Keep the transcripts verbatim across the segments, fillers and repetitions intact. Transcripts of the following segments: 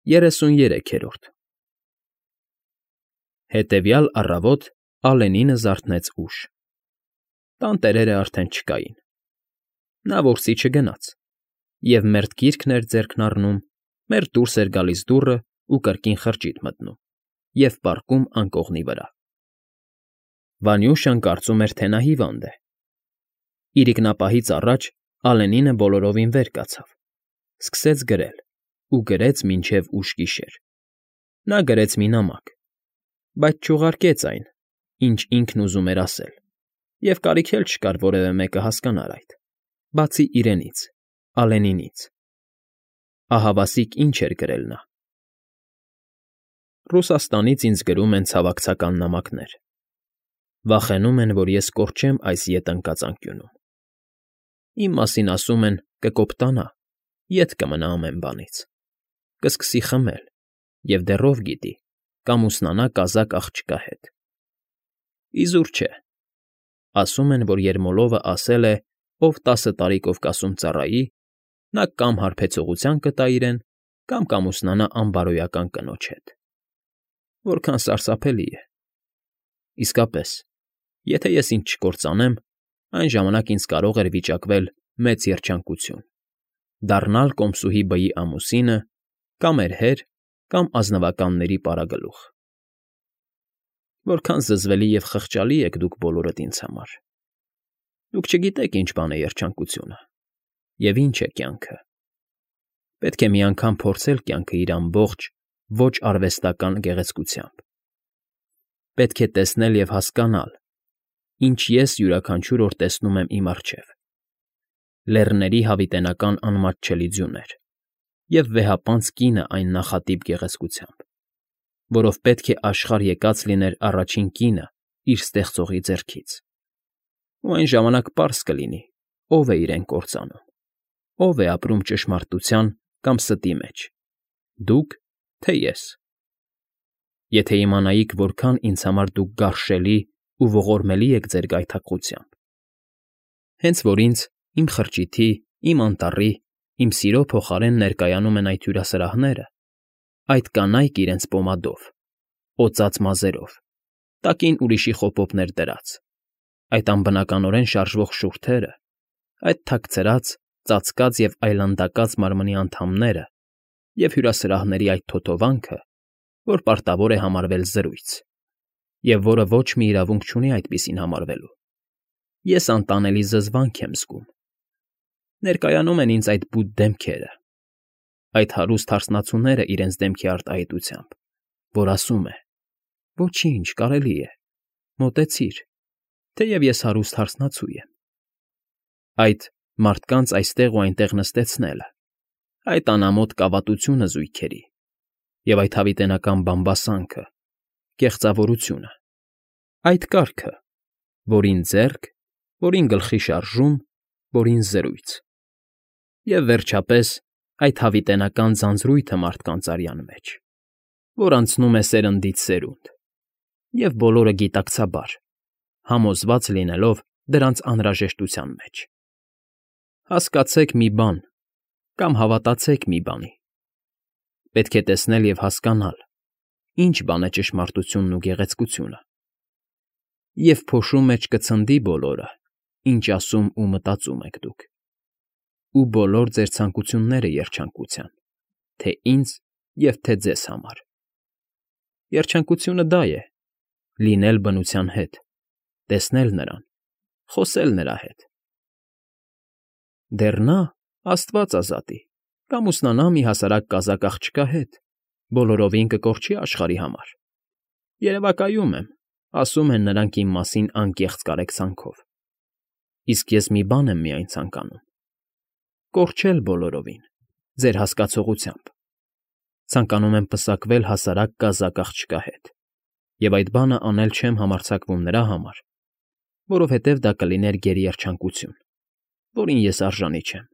Երեսուներեքերորդ Հետևյալ առավոտ Ալենինը զարթնեց ուշ. տան տերերը արդեն չկային. նա որսի չգնաց և մերթ գիրքն էր ձեռքն առնում, մերթ դուրս էր գալիս դուռն ու կրկին խրճիթ մտնում և պառկում անկողնի վրա. Վանյուշան կարծում էր, թե նա հիվանդ է. իրիկնապահից առաջ Ալենինը բոլորովին վեր կացավ, սկսեց գրել ու գրեց մինչև ուշ գիշեր. նա գրեց մի նամակ, բայց չուղարկեց այն, ինչ ինքն ուզում էր ասել, և կարիք էլ չկար որևէ մեկը հասկանար այդ, բացի իրենից, Ալենինից. ահավասիկ ինչ էր գրել նա. Ռուսաստանից ինձ գրում են ցավակցական նամակներ. վախենում են, որ ես կորչեմ այս ետ ընկած անկյունում. իմ մասին ասում են կկոպտանա, ետ կմնա ամեն բանից, կսկսի խմել և դեռ ով գիտի, կամուսնանա կազակ աղջկա հետ. իզուր չէ, ասում են, որ Երմոլովը ասել է, ով տասը տարի Կովկասում ծառայի, նա կամ հարբեցողության կտա իրեն, կամ կամուսնանա անբարոյական կնոջ հետ. որքան սարսափելի է. իսկապես, եթե ես ինձ չկործանեմ, այն ժամանակ ինձ կարող էր վիճակվել մեծ երջանկություն, դառնալ կոմսուհի բեի ամուսինը, կամ էրհեր, կամ ազնվականների պարագլուխ. Որքան զզվելի և խղճալի եք դուք բոլորդ ինձ համար. դուք չգիտեք ինչ բան է երջանկությունը և ինչ է կյանքը. պետք է մի անգամ փորձել կյանքը իր ամբողջ, ոչ արվեստական գեղեցկությամբ. պետք է տեսնել և հասկանալ, ինչ ես յուրաքանչյուր օր տեսնում եմ իմ առջև. լեռների հավիտենական անմատչելի ձյուներ և վեհապանծ կինը այն նախատիպ գեղեցկությամբ, որով պետք է աշխարհ եկած լիներ առաջին կինը իր ստեղծողի ձեռքից, ու այն ժամանակ պարզ կլինի, ով է իրեն կործանում, ով է ապրում ճշմարտության կամ ստի մեջ, դուք, թե ես. եթե իմանայիք, որքան ինձ համար դուք գարշելի ու ողորմելի եք ձեր գայթակղությամբ, հենց որ ինձ, իմ խրճիթի, իմ անտառի, իմ սիրո փոխարեն ներկայանում են այդ հյուրասրահները, այդ կանայք իրենց պոմադով, օծած մազերով, տակին ուրիշի խոպոպներ դրած, այդ անբնականորեն շարժվող շուրթերը, այդ թաքցրած, ծածկած և այլանդակած մարմնի անդամները և հյուրասրահների այդ թոթովանքը, որ պարտավոր է համարվել զրույց, և որը ոչ մի իրավունք չունի այդպիսին համարվելու, ես անտանելի զզվանք եմ զգում. ներկայանում են ինձ այդ բութ դեմքերը, այդ հարուստ հարսնացուները իրենց դեմքի արտահայտությամբ, որ ասում է. ոչինչ, կարելի է, մոտեցիր, թեև ես հարուստ հարսնացու եմ. այդ մարդկանց այստեղ ու այնտեղ նստեցնելը, այդ անամոթ կավատությունը զույգերի, և այդ հավիտենական բամբասանքը, կեղծավորությունը, այդ կարգը, որին ձեռք, որին գլխի շարժում, որին զրույց, և, վերջապես, այդ հավիտենական ձանձրույթը մարդկանց արյան մեջ, որ անցնում է սերնդից սերունդ, և բոլորը գիտակցաբար, համոզված լինելով դրանց անհրաժեշտության մեջ. հասկացեք մի բան կամ հավատացեք մի բանի. պետք է տեսնել և հասկանալ, ինչ բան է ճշմարտությունն ու գեղեցկությունը, և փոշու մեջ կցնդի բոլորը, ինչ ասում ու մտածում եք դուք, ու բոլոր ձեր ցանկությունները երջանկության, թե ինձ և թե ձեզ համար. երջանկությունը դա է, լինել բնության հետ, տեսնել նրան, խոսել նրա հետ. դեռ նա, աստված ազատի, կամուսնանա մի հասարակ կազակ աղջկա հետ, բոլորովին կկորչի աշխարհի համար. երևակայում եմ, ասում են նրանք իմ մասին անկեղծ կարեկցանքով, իսկ ես մի բան եմ միայն ցանկանում. կորչել բոլորովին, ձեր հասկացողությամբ, ցանկանում եմ պսակվել հասարակ կազակ աղջկա հետ, և այդ բանը անել չեմ համարձակվում նրա համար, որովհետև դա կլիներ գերեերջանկություն, որին ես արժանի չեմ.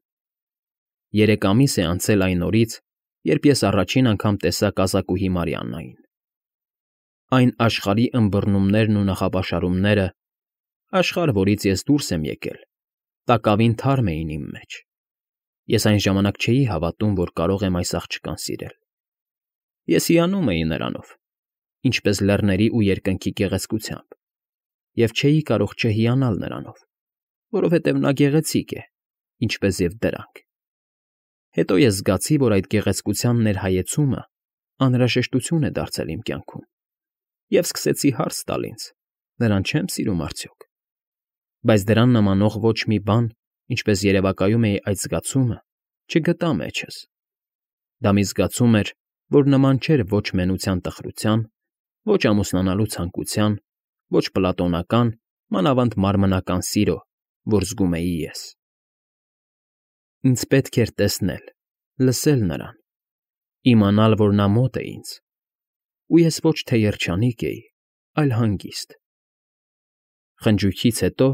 երեք ամիս է անցել այն օրից, երբ ես առաջին անգամ տեսա կազակուհի Մարիաննային. այն աշխարհի ըմբռնումներն ու նախապաշարումները, աշխարհ, որից ես դուրս եմ եկել, տակավին թարմ էին իմ մեջ. ես այն ժամանակ չէի հավատում, որ կարող եմ այս աղջկան սիրել, Ես հիանում էի նրանով, ինչպես լեռների ու երկնքի գեղեցկությամբ, և չէի կարող չհիանալ նրանով, որովհետև նա գեղեցիկ է, ինչպես և դրանք։ Հետո ես զգացի, որ այդ գեղեցկության ներհայեցումը անհրաժեշտություն է դարձել իմ կյանքում, և սկսեցի հարց տալ ինձ. նրան չե՞մ սիրում արդյոք։ Բայց դրան նմանող ոչ մի բան, ինչպես երևակայում էի այդ զգացումը, չգտա մեջս։ Դա մի զգացում էր, որ նման չէր ոչ մենության տխրության, ոչ ամուսնանալու ցանկության, ոչ պլատոնական, մանավանդ մարմնական սիրո, որ զգում էի ես։ Ինձ պետք էր տեսնել, լսել նրան, իմանալ, որ նա մոտ է ինձ, ու ես ոչ թե երջանիկ էի, այլ հանգիստ։ Խնջույքից հետո,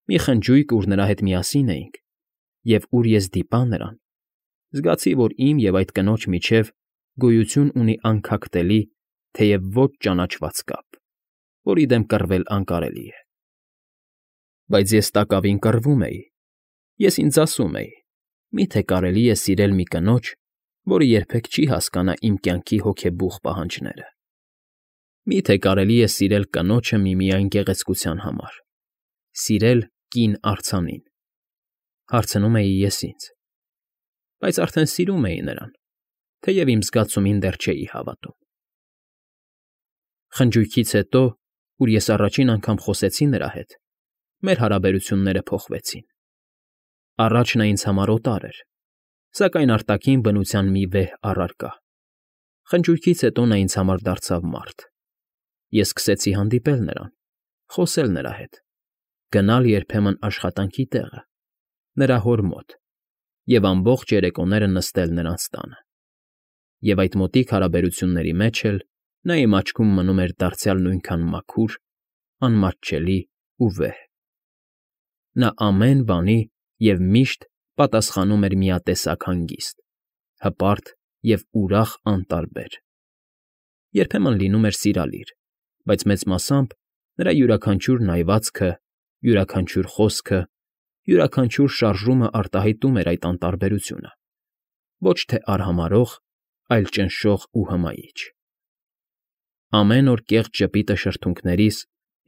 մի խնջույք, ուր նրա հետ միասին էինք, և ուր ես դիպա նրան, զգացի, որ իմ և այդ կնոջ միջև գոյություն ունի անքակտելի, թեև ոչ ճանաչված կապ, որի դեմ կռվել անկարելի է։ Բայց ես տակավին կռվում էի, ես ինձ ասում էի. մի՞թե կարելի է սիրել մի կնոջ, որը երբեք չի հասկանա իմ կյանքի հոգեբուխ պահանջները։ Մի՞թե կարելի է սիրել կնոջը միմիայն գեղեցկության համար, սիրել կին արձանին, հարցնում էի ես ինձ, բայց արդեն սիրում էի նրան, թեև իմ զգացումին դեռ չէի հավատում։ Խնջույքից հետո, ուր ես առաջին անգամ խոսեցի նրա հետ, մեր հարաբերությունները փոխվեցին։ Առաջ նա ինձ համար օտար էր, սակայն արտաքին բնության մի վեհ առարկա։ Խնջույքից հետո նա ինձ համար դարձավ մարդ։ Ես սկսեցի հանդիպել նրան, խոսել նրա հետ, գնալ երբեմն աշխատանքի տեղը, նրա հոր մոտ, և ամբողջ երեկոները նստել նրանց տանը։ Եվ այդ մոտիկ հարաբերությունների մեջ էլ նա իմ աչքում մնում էր դարձյալ նույնքան մաքուր, անմատչելի ու վեհ։ Նա ամեն բանի և միշտ պատասխանում էր միատեսակ հանգիստ, հպարտ և ուրախ անտարբեր։ Երբեմն լինում էր սիրալիր, բայց մեծ մասամբ նրա յուրաքանչյուր նայվածքը, յուրաքանչյուր խոսքը, յուրաքանչյուր շարժումը արտահայտում էր այդ անտարբերությունը, ոչ թե արհամարհող, այլ ճնշող ու հմայիչ։ Ամեն օր կեղծ ժպիտը շրթունքներիս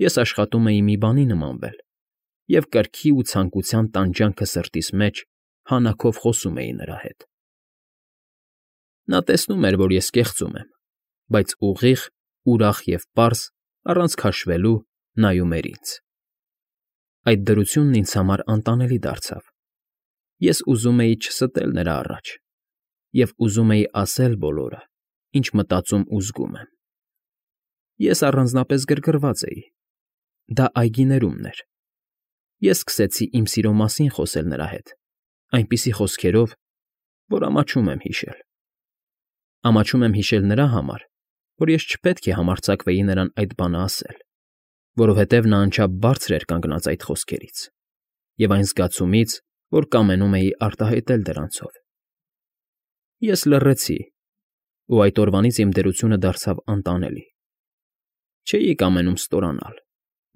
ես աշխատում էի մի բանի նմանվել և կրքի ու ցանկության տանջանքը սրտիս մեջ հանաքով խոսում էի նրա հետ։ Նա տեսնում էր, որ ես կեղծում եմ, բայց ուղիղ, ուրախ և պարզ, առանց քաշվելու նայում էր ինձ։ Այդ դրությունն ինձ համար անտանելի դարձավ։ Ես ուզում էի չստել նրա առաջ և ուզում էի ասել բոլորը, ինչ մտածում ու զգում եմ։ Ես առանձնապես գրգռված էի։ Դա այգիներումն էր։ Ես սկսեցի իմ սիրո մասին խոսել նրա հետ, այնպիսի խոսքերով, որ ամաչում եմ հիշել։ Ամաչում եմ հիշել նրա համար, որ ես չպետք է համարձակվեի նրան այդ բանը ասել, որովհետև նա անչափ բարձր էր կանգնած այդ խոսքերից և այն զգացումից, որ կամենում էի արտահայտել դրանցով։ Ես լռեցի, ու այդ օրվանից իմ դրությունը դարձավ անտանելի։ Չէի կամենում ստորանալ,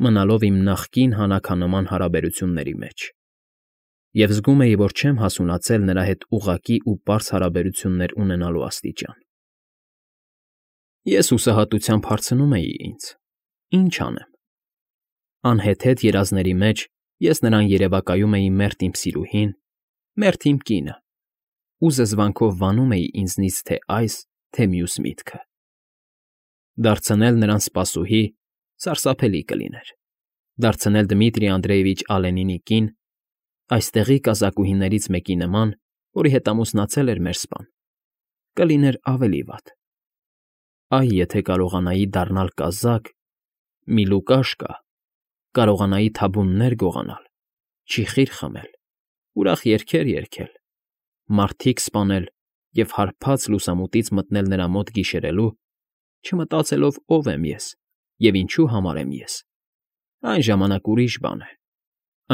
մնալով իմ նախկին հանաքանման հարաբերությունների մեջ, և զգում էի, որ չեմ հասունացել նրա հետ ուղղակի ու պարզ հարաբերություններ ունենալու աստիճան։ Ես հուսահատությամբ հարցնում էի ինձ. ի՞նչ անեմ։ Անհեթեթ երազների մեջ ես նրան երևակայում էի մերթ իմ սիրուհին, մերթ իմ կինը, ու զզվանքով վանում էի ինձնից թե այս, թե մյուս միտքը։ Դարձնել նրան սպասուհի սարսափելի կլիներ, դարձնել Դմիտրի Անդրեյևիչ Ալենինի կին, այստեղի կազակուհիներից մեկի նման, որի հետ ամուսնացել էր մեր սպան, կլիներ ավելի վատ։ Այ եթե կարողանայի դառնալ կազակ, մի Լուկաշկա, կարողանայի թաբուներ գողանալ, ճիխիր խմել, ուրախ երգեր երգել, մարդիկ սպանել և հարբած լուսամուտից մտնել նրա մոտ գիշերելու, չմտածելով ով եմ ես և ինչու համար եմ ես, այն ժամանակ ուրիշ բան է,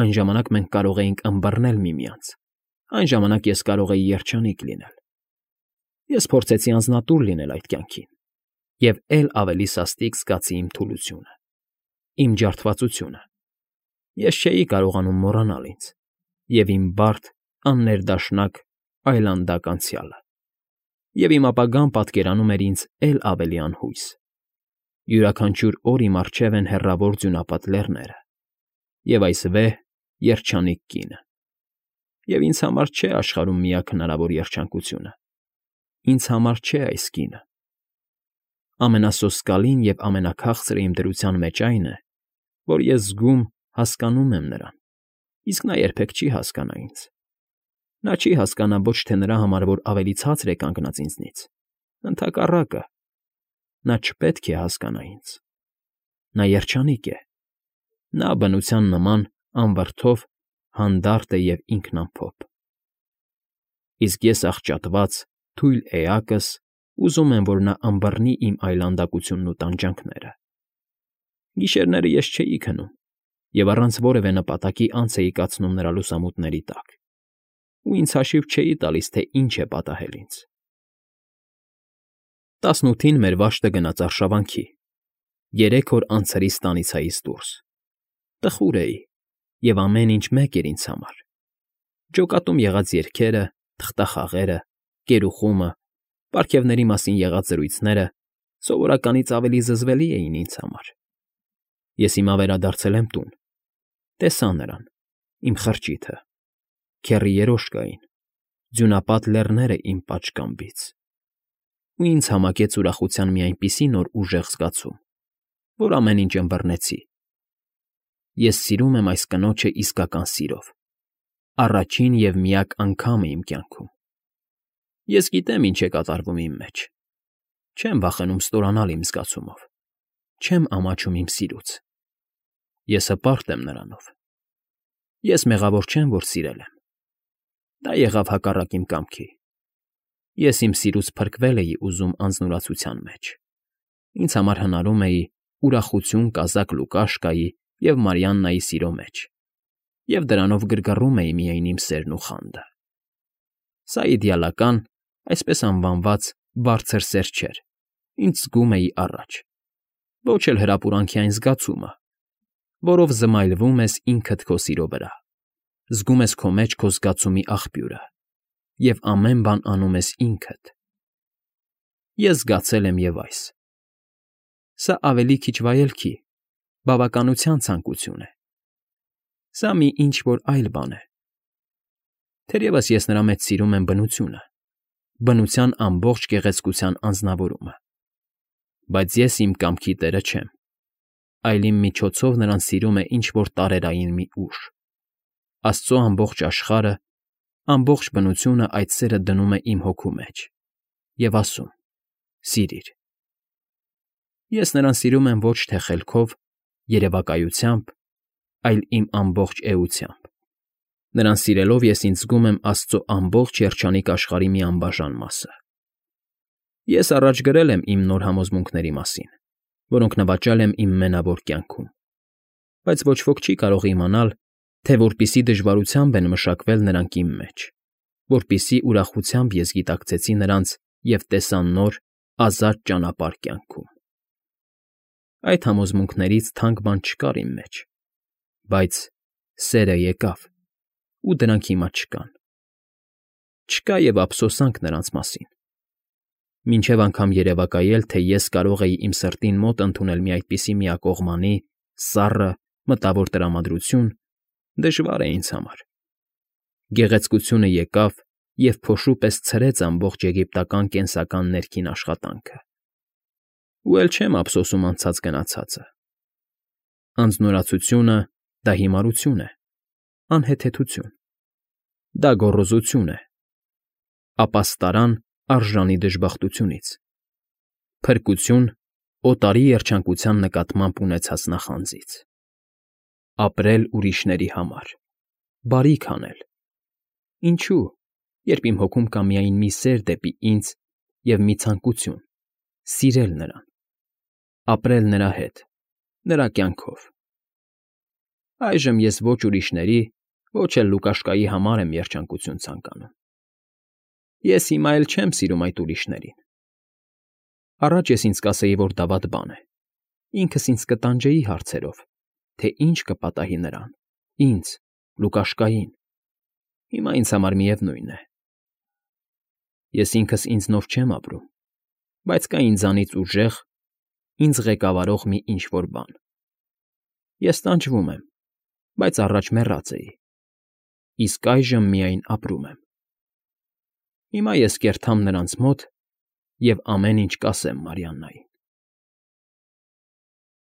այն ժամանակ մենք կարող էինք ըմբռնել միմյանց, այն ժամանակ ես կարող էի երջանիկ լինել։ Ես փորձեցի անձնատուր լինել այդ կյանքին և էլ ավելի սաստիկ զգացի իմ թուլությունը, իմ ջարդվածությունը։ Ես չէի կարողանում մոռանալ ինձ և իմ բարդ, աններդաշնակ, այլանդակ անցյալը։ Եվ իմ ապագան պատկերանում էր ինձ էլ ավելի անհույս. յուրաքանչյուր օր իմ առջև են հեռավոր ձյունապատ լեռները, և այս վեհ, երջանիկ կինը, և ինձ համար չէ աշխարհում միակ հնարավոր երջանկությունը, ինձ համար չէ այս կինը։ Ամենասոսկալին և ամենաքաղցրը իմ դրության մեջ այն է, որ ես զգում, հասկանում եմ նրան, իսկ նա երբեք չի հասկանա ինձ. նա չի հասկանա ոչ թե նրա համար, որ ավելի ցածր է կանգնած ինձնից, ընդհակառակը, նա չպետք է հասկանա ինձ. նա երջանիկ է, նա բնության նման անվրդով հանդարտ է և ինքնամփոփ։ Իսկ ես աղճատված, թույլ էակս ուզում եմ, որ նա ըմբռնի իմ այլանդակությունն ու տանջանքները։ Գիշերները ես չէի քնում և առանց որևէ նպատակի անց էի կացնում նրա լուսամուտների տակ, ու ինձ հաշիվ չէի տալիս, թե ինչ է պատահել ինձ։ Տասնութին մեր վաշտը գնաց արշավանքի, երեք օր անցրիս տանիցայից դուրս։ Տխուր էի, և ամեն ինչ մեկ էր ինձ համար. ջոկատում եղած երգերը, թղթախաղերը, կերուխումը, պարգևների մասին եղած զրույցները սովորականից ավելի զզվելի էին ինձ համար։ Ես հիմա վերադարձել եմ տուն, տեսա նրան, իմ խրճիթը, քեռի երոշկային, ձյունապատ լեռները իմ պատշգամբից, ու ինձ համակեց ուրախության մի այնպիսի նոր ուժեղ զգացում, որ ամեն ինչ ըմբռնեցի։ Ես սիրում եմ այս կնոջը իսկական սիրով, առաջին և միակ անգամը իմ կյանքում։ Ես գիտեմ ինչ է կատարվում իմ մեջ, չեմ վախենում ստորանալ իմ զգացումով, չեմ ամաչում իմ սիրուց։ Ես հպարտ եմ նրանով։ Ես մեղավոր չեմ, որ սիրել եմ։ Դա եղավ հակառակ իմ կամքի։ Ես իմ սիրուց փրկվել էի ուզում անձնուրացության մեջ, ինձ համար հնարում էի ուրախություն կազակ Լուկաշկայի և Մարիաննայի սիրո մեջ, և դրանով գրգռում էի միայն իմ սերն ու խանդը։ Սա իդեալական, այսպես անվանված, բարձր սեր չէր, ինչ զգում էի առաջ, ոչ էլ հրապուրանքի այն զգացումը, որով զմայլվում ես ինքդ քո սիրո վրա, զգում ես քո մեջ քո զգացումի աղբյուրը և ամեն բան անում ես ինքդ։ Ես զգացել եմ և այս։ Սա ավելի քիչ վայելքի, բավականության ցանկություն է։ Սա մի ինչ֊որ այլ բան է։ Թերևս ես նրա մեջ սիրում եմ բնությունը, բնության ամբողջ գեղեցկության անձնավորումը, բայց ես իմ կամքի տերը չեմ, այլ իմ միջոցով նրան սիրում է ինչ֊որ տարերային մի ուժ։ Աստծո ամբողջ աշխարհը, ամբողջ բնությունը այդ սերը դնում է իմ հոգու մեջ և ասում. «Սիրիր»։ Ես նրան սիրում եմ ոչ թե խելքով, երևակայությամբ, այլ իմ ամբողջ էությամբ։ Նրան սիրելով ես ինձ զգում եմ Աստծո ամբողջ երջանիկ աշխարհի մի անբաժան մասը։ Ես առաջ գրել եմ իմ նոր համոզմունքների մասին, որոնք նվաճել եմ իմ մենավոր կյանքում, բայց ոչ ոք չի կարող իմանալ, թե որպիսի դժվարությամբ են մշակվել նրանք իմ մեջ, որպիսի ուրախությամբ ես գիտակցեցի նրանց և տեսա նոր, ազատ ճանապարհ կյանքում։ Այդ համոզմունքներից թանկ բան չկար իմ մեջ, բայց սերը եկավ, ու դրանք հիմա չկան։ Չկա և ափսոսանք նրանց մասին։ Մինչև անգամ երևակայել, թե ես կարող էի իմ սրտին մոտ ընդունել մի այդպիսի միակողմանի, սառը, մտավոր տրամադրություն, դժվար է ինձ համար։ Գեղեցկությունը եկավ և փոշու պես ցրեց ամբողջ եգիպտական կենսական ներքին աշխատանքը։ Ու էլ չեմ ափսոսում անցած գնացածը։ Անձնուրացությունը՝ դա հիմարություն է, անհեթեթություն։ Դա գոռոզություն է, ապաստարան արժանի դժբախտությունից, փրկություն օտարի երջանկության նկատմամբ ունեցած նախանձից։ Ապրել ուրիշների համար, բարիք անել։ Ինչո՞ւ, երբ իմ հոգում կա միայն մի սեր դեպի ինձ և մի ցանկություն՝ սիրել նրան, ապրել նրա հետ, նրա կյանքով։ Այժմ ես ոչ ուրիշների, ոչ էլ Լուկաշկայի համար եմ երջանկություն ցանկանում։ Ես հիմա էլ չեմ սիրում այդ ուրիշներին։ Առաջ ես ինձ կասեի, որ դա վատ բան է, ինքս ինձ կտանջեի հարցերով, թե ինչ կպատահի նրան, ինձ, Լուկաշկային։ Հիմա ինձ համար միևնույն է։ Ես ինքս ինձնով չեմ ապրում, բայց կա ինձանից ուժեղ, ինձ ղեկավարող մի ինչ֊որ բան. ես տանջվում եմ, բայց առաջ մեռած էի, իսկ այժմ միայն ապրում եմ։ Հիմա ես կերթամ նրանց մոտ և ամեն ինչ կասեմ Մարիաննային։